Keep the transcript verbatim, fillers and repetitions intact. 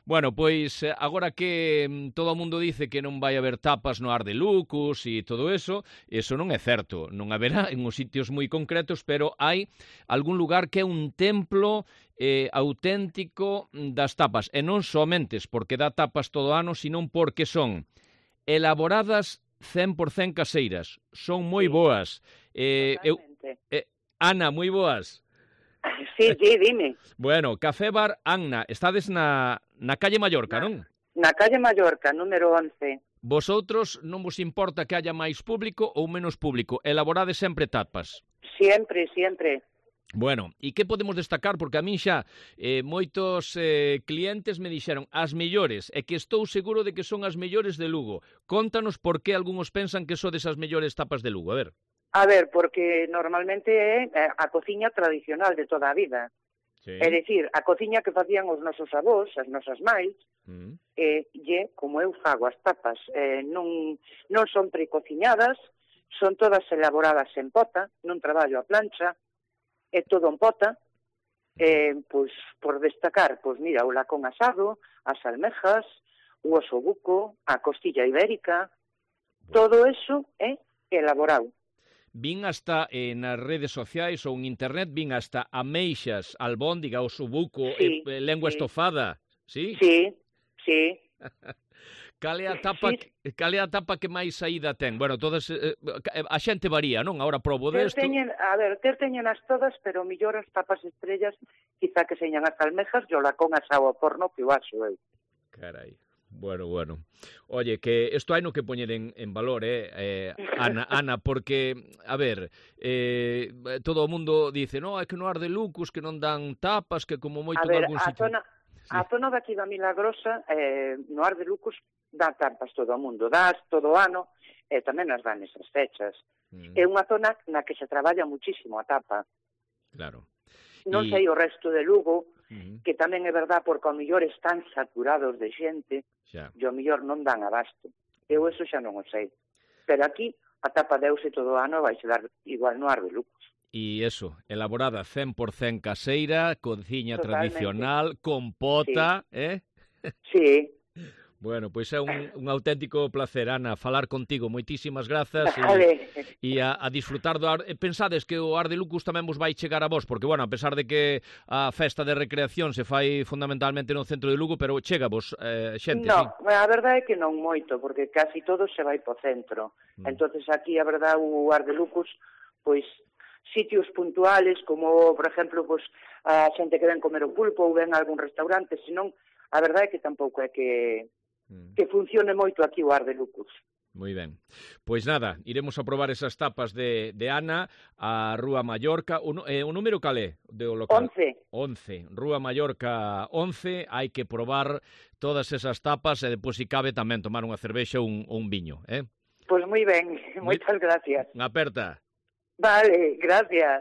Bueno, pois agora que mm, todo o mundo dice que non vai haber tapas no Ar de Lucus e todo eso, eso non é certo. Non haberá en os sitios moi concretos, pero hai algún lugar que é un templo eh, auténtico das tapas. E non somente porque dá tapas todo o ano, senón porque son elaboradas cen por cen caseiras. Son moi Sí, boas. Eh, eu, totalmente. eh, Ana, moi boas. Sí, sí, dime. Bueno, Café Bar Anna, estades na, na calle Mallorca, non? Na calle Mallorca, número once. Vosotros non vos importa que haya máis público ou menos público, elaborades sempre tapas. Siempre, siempre. Bueno, e que podemos destacar? Porque a min xa eh, moitos eh, clientes me dixeron as mellores, e que estou seguro de que son as mellores de Lugo. Contanos por que algúns pensan que sodes as mellores tapas de Lugo, a ver. A ver, porque normalmente é a cociña tradicional de toda a vida. Sí. É dicir, a cociña que facían os nosos avós, as nosas mães, Mm. e lle como eu fago as tapas. Eh, non, non son precociñadas, son todas elaboradas en pota, non traballo a plancha, é todo en pota. Eh, pois, por destacar, pois mira, o lacón asado, as almejas, o osobuco, a costilla ibérica, todo eso é elaborado. Vin hasta eh, nas redes sociais ou en internet, vin hasta ameixas, albóndiga, osobuco, Sí, eh, lengua sí. estofada, sí? Sí, sí. Cal é a tapa, Sí. que, cal é a tapa que máis saída ten? Bueno, todas eh, a xente varía, non? Agora probo Ter desto. teñen, a ver, ter teñen as todas, pero millor as tapas estrellas, quizá que señan as almejas, yo la con asado ao porno que o aso eu. Carai. Bueno, bueno. Oye, que isto hai no que poñer en, en valor, eh, eh Ana, Ana, porque, a ver, eh, todo o mundo dice, no, é que no Ar de Lucus que non dan tapas, que como moito A ver, en algún a sitio. zona, Sí. a zona daqui da Milagrosa, eh, no Ar de Lucus, dá tapas todo o mundo, dás todo o ano, e tamén as dan esas fechas. Mm, É unha zona na que se traballa muchísimo a tapa. claro. Non Y- sei o resto de Lugo, Mm, que tamén é verdad porque ao millor están saturados de xente, xa. e ao millor non dan abasto. Eu eso xa non o sei. Pero aquí a tapa deuse todo o ano vai se dar igual no Ar de Lucus. E eso, elaborada cen por cen caseira, cociña Totalmente. tradicional, compota, sí. eh? Sí. Bueno, pois é un, un auténtico placer, Ana, falar contigo. Moitísimas grazas Vale. e, e a, a disfrutar do Ar. Pensades que o Ar de Lucus tamén vos vai chegar a vos, porque, bueno, a pesar de que a festa de recreación se fai fundamentalmente no centro de Lugo, pero chega vos eh, xente, No, sí? a verdade é que non moito, porque casi todo se vai po centro. Mm. Entonces aquí, a verdade, o Ar de Lucus, pois, sitios puntuales, como, por exemplo, pois, a xente que ven comer o pulpo ou ven a algún restaurante, senón, a verdade é que tampouco é que que funcione moito aquí o Ar de Lucus. Moi ben. Pois nada, iremos a probar esas tapas de, de Ana a Rúa Mallorca. O, eh, o número calé do local? Once. Once. Rúa Mallorca once. Hai que probar todas esas tapas e depois, se cabe, tamén tomar unha cervexa ou un, un viño, eh? Pois moi ben, moitas gracias. Unha aperta. Vale, gracias.